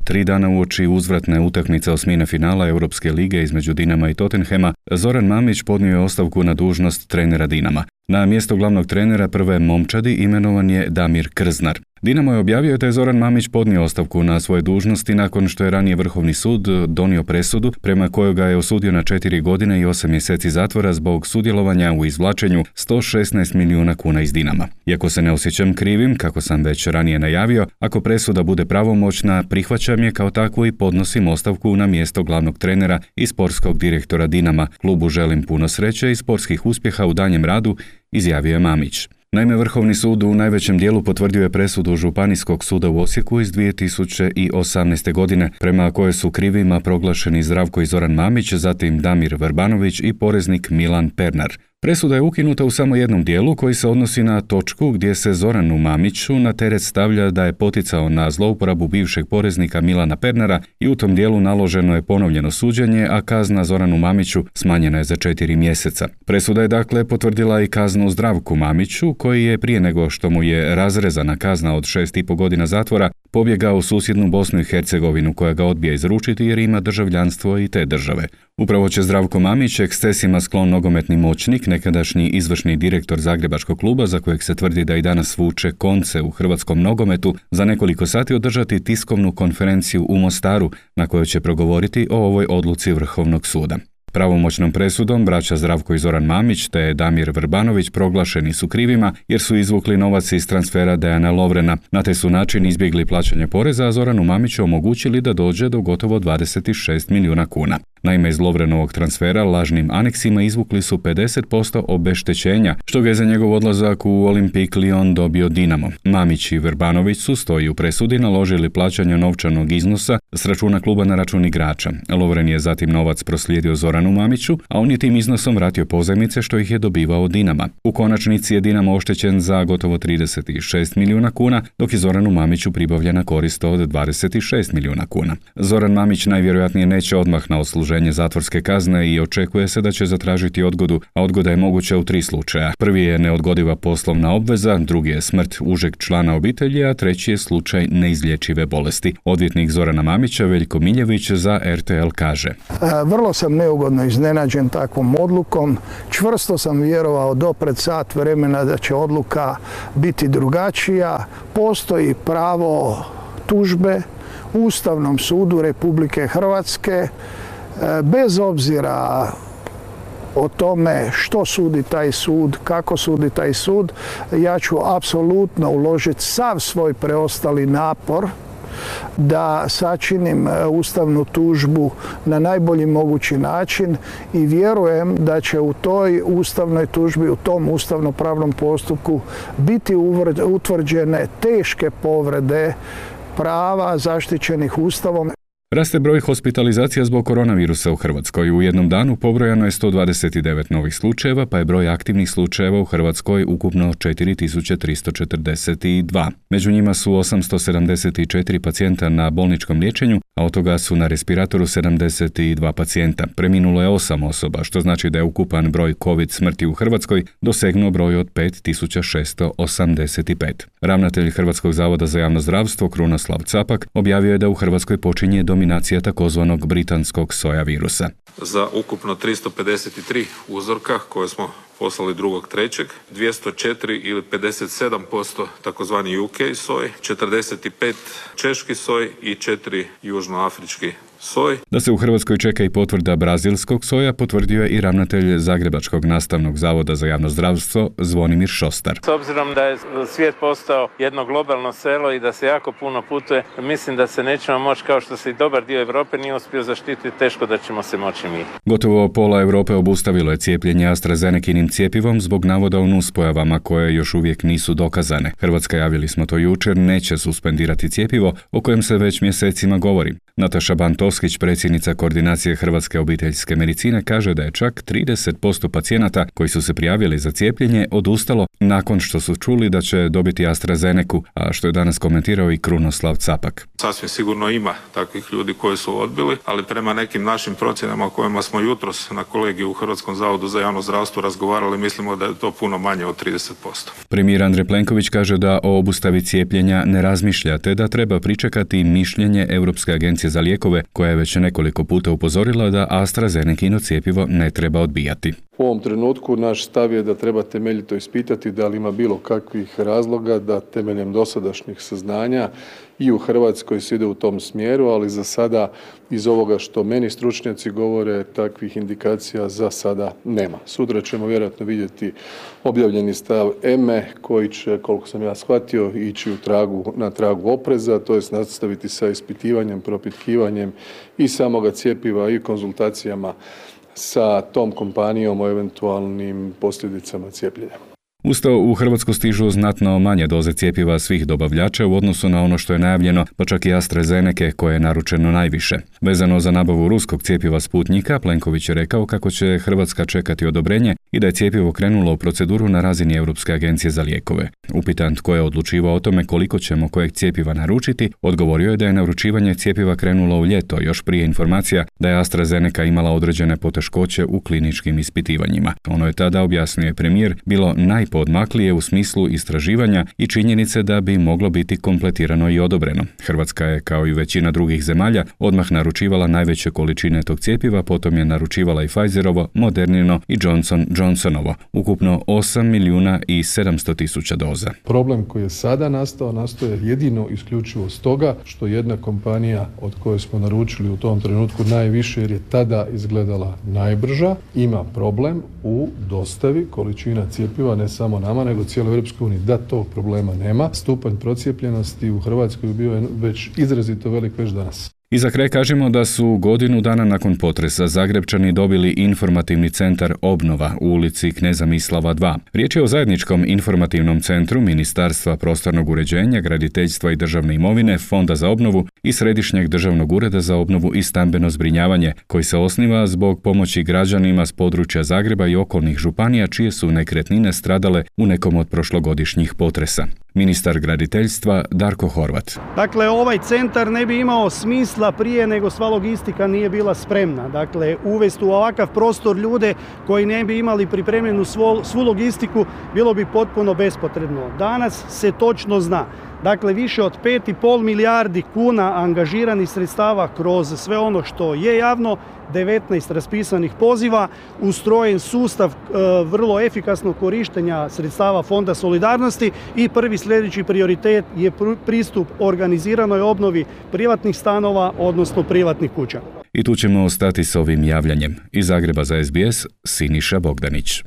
3 dana uoči uzvratne utakmice osmine finala Europske lige između Dinama i Tottenhama, Zoran Mamić podnio je ostavku na dužnost trenera Dinama. Na mjesto glavnog trenera prve momčadi imenovan je Damir Krznar. Dinamo je objavio da je Zoran Mamić podnio ostavku na svoje dužnosti nakon što je ranije Vrhovni sud donio presudu prema kojoj ga je osudio na 4 godine i 8 mjeseci zatvora zbog sudjelovanja u izvlačenju 116 milijuna kuna iz Dinama. Iako se ne osjećam krivim, kako sam već ranije najavio, ako presuda bude pravomoćna, prihvaćam je kao takvu i podnosim ostavku na mjesto glavnog trenera i sportskog direktora Dinama. Klubu želim puno sreće i sportskih uspjeha u danjem radu, izjavio je Mamić. Naime, Vrhovni sud u najvećem dijelu potvrdio je presudu Županijskog suda u Osijeku iz 2018. godine, prema kojoj su krivima proglašeni Zdravko i Zoran Mamić, zatim Damir Vrbanović i poreznik Milan Pernar. Presuda je ukinuta u samo jednom dijelu koji se odnosi na točku gdje se Zoranu Mamiću na teret stavlja da je poticao na zlouporabu bivšeg poreznika Milana Pernara i u tom dijelu naloženo je ponovljeno suđenje, a kazna Zoranu Mamiću smanjena je za 4 mjeseca. Presuda je dakle potvrdila i kaznu Zdravku Mamiću, koji je prije nego što mu je razrezana kazna od 6,5 godina zatvora pobjegao u susjednu Bosnu i Hercegovinu koja ga odbija izručiti jer ima državljanstvo i te države. Upravo će Zdravko Mamić, ekscesima sklon nogometni moćnik, nekadašnji izvršni direktor Zagrebačkog kluba za kojeg se tvrdi da i danas vuče konce u hrvatskom nogometu, za nekoliko sati održati tiskovnu konferenciju u Mostaru na kojoj će progovoriti o ovoj odluci Vrhovnog suda. Pravomoćnom presudom braća Zdravko i Zoran Mamić te Damir Vrbanović proglašeni su krivima jer su izvukli novac iz transfera Dejana Lovrena. Na taj su način izbjegli plaćanje poreza, a Zoranu Mamiću omogućili da dođe do gotovo 26 milijuna kuna. Naime, iz Lovrenovog transfera lažnim aneksima izvukli su 50% obeštećenja, što ga je za njegov odlazak u Olympique Lyon dobio Dinamo. Mamić i Vrbanović su, stoji u presudi, naložili plaćanje novčanog iznosa s računa kluba na račun igrača. Lovren je zatim novac proslijedio Zoranu Mamiću, a on je tim iznosom vratio pozajmice što ih je dobivao od Dinama. U konačnici je Dinamo oštećen za gotovo 36 milijuna kuna, dok je Zoranu Mamiću pribavljena korist od 26 milijuna kuna. Zoran Mamić najvjerojatnije neće odmah na odsluženje zatvorske kazne i očekuje se da će zatražiti odgodu, a odgoda je moguća u 3 slučaja. Prvi je neodgodiva poslovna obveza, drugi je smrt užeg člana obitelji, a treći je slučaj neizlječive bolesti. Odvjetnik Zorana Mamića, Veljko Miljević, za RTL kaže: Vrlo sam neugodno iznenađen takvom odlukom. Čvrsto sam vjerovao do pred sat vremena da će odluka biti drugačija. Postoji pravo tužbe Ustavnom sudu Republike Hrvatske. Bez obzira o tome što sudi taj sud, kako sudi taj sud, ja ću apsolutno uložiti sav svoj preostali napor da sačinim ustavnu tužbu na najbolji mogući način i vjerujem da će u toj ustavnoj tužbi, u tom ustavnopravnom postupku biti utvrđene teške povrede prava zaštićenih Ustavom. Raste broj hospitalizacija zbog koronavirusa u Hrvatskoj. U jednom danu pobrojano je 129 novih slučajeva, pa je broj aktivnih slučajeva u Hrvatskoj ukupno 4342. Među njima su 874 pacijenta na bolničkom liječenju, a od toga su na respiratoru 72 pacijenta. Preminulo je 8 osoba, što znači da je ukupan broj COVID smrti u Hrvatskoj dosegnuo broj od 5685. Ravnatelj Hrvatskog zavoda za javno zdravstvo Krunoslav Capak objavio je da u Hrvatskoj počinje dominacija takozvanog britanskog soja virusa. Za ukupno 353 uzorka koje smo poslali 2.3. 204 ili 57% takozvani UK soj, 45 češki soj i 4 južnoafrički soj. Da se u Hrvatskoj čeka i potvrda brazilskog soja potvrdio je i ravnatelj Zagrebačkog nastavnog zavoda za javno zdravstvo Zvonimir Šostar. S obzirom da je svijet postao jedno globalno selo i da se jako puno putuje, mislim da se nećemo moći, kao što se i dobar dio Europe nije uspio zaštititi, teško da ćemo se moći mi. Gotovo pola Europe obustavilo je cijepljenje AstraZenekinim cjepivom zbog navoda o nuspojavama koje još uvijek nisu dokazane. Hrvatska, javili smo to jučer, neće suspendirati cjepivo o kojem se već mjesecima govori. Nataša Bantoskić, predsjednica koordinacije Hrvatske obiteljske medicine, kaže da je čak 30% pacijenata koji su se prijavili za cijepljenje odustalo nakon što su čuli da će dobiti AstraZenecu, a što je danas komentirao i Krunoslav Capak. Sasvim sigurno ima takvih ljudi koji su odbili, ali prema nekim našim procjenama o kojima smo jutros na kolegiju u Hrvatskom zavodu za javno zdravstvo razgovarali, mislimo da je to puno manje od 30%. Premijer Andrej Plenković kaže da o obustavi cijepljenja ne razmišlja, te da treba pričekati mišljenje Europske agencije za lijekove, koja je već nekoliko puta upozorila da AstraZenecino cjepivo ne treba odbijati. U ovom trenutku naš stav je da treba temeljito ispitati da li ima bilo kakvih razloga da temeljem dosadašnjih saznanja i u Hrvatskoj se ide u tom smjeru, ali za sada iz ovoga što meni stručnjaci govore, takvih indikacija za sada nema. Sutra ćemo vjerojatno vidjeti objavljeni stav EME koji će, koliko sam ja shvatio, ići na tragu opreza, to jest nastaviti sa ispitivanjem, propitkivanjem i samoga cjepiva i konzultacijama sa tom kompanijom o eventualnim posljedicama cijepljenja. Uz to u Hrvatsku stižu znatno manje doze cjepiva svih dobavljača u odnosu na ono što je najavljeno, pa čak i AstraZenece koje je naručeno najviše. Vezano za nabavu ruskog cjepiva Sputnika, Plenković je rekao kako će Hrvatska čekati odobrenje i da je cjepivo krenulo u proceduru na razini Europske agencije za lijekove. Upitan tko je odlučivao o tome koliko ćemo kojeg cjepiva naručiti, odgovorio je da je naručivanje cjepiva krenulo u ljeto, još prije informacija da je AstraZeneca imala određene poteškoće u kliničkim ispitivanjima. Ono je tada, objasnio je premijer, bilo najpoodmaklije u smislu istraživanja i činjenice da bi moglo biti kompletirano i odobreno. Hrvatska je, kao i većina drugih zemalja, odmah naručivala najveće količine tog cjepiva, potom je naručivala i Pfizerovo, Modernino i Johnsonovo, ukupno 8.700.000 doza. Problem koji je sada nastao je jedino isključivo stoga što jedna kompanija od koje smo naručili u tom trenutku najviše, jer je tada izgledala najbrža, ima problem u dostavi količina cjepiva, ne samo nama, nego cijeloj Europskoj uniji. Da tog problema nema, stupanj procijepljenosti u Hrvatskoj bio je već izrazito velik već danas. I za kraj kažemo da su godinu dana nakon potresa Zagrepčani dobili informativni centar Obnova u ulici Kneza Mislava 2. Riječ je o zajedničkom informativnom centru Ministarstva prostornog uređenja, graditeljstva i državne imovine, Fonda za obnovu i Središnjeg državnog ureda za obnovu i stambeno zbrinjavanje, koji se osniva zbog pomoći građanima s područja Zagreba i okolnih županija čije su nekretnine stradale u nekom od prošlogodišnjih potresa. Ministar graditeljstva Darko Horvat. Dakle, ovaj centar ne bi imao smisla prije nego sva logistika nije bila spremna. Dakle, uvesti u ovakav prostor ljude koji ne bi imali pripremljenu svu logistiku bilo bi potpuno bespotrebno. Danas se točno zna. Dakle, više od 5,5 milijardi kuna angažiranih sredstava kroz sve ono što je javno, 19 raspisanih poziva, ustrojen sustav vrlo efikasnog korištenja sredstava Fonda solidarnosti i prvi sljedeći prioritet je pristup organiziranoj obnovi privatnih stanova, odnosno privatnih kuća. I tu ćemo ostati s ovim javljanjem. Iz Zagreba za SBS, Siniša Bogdanić.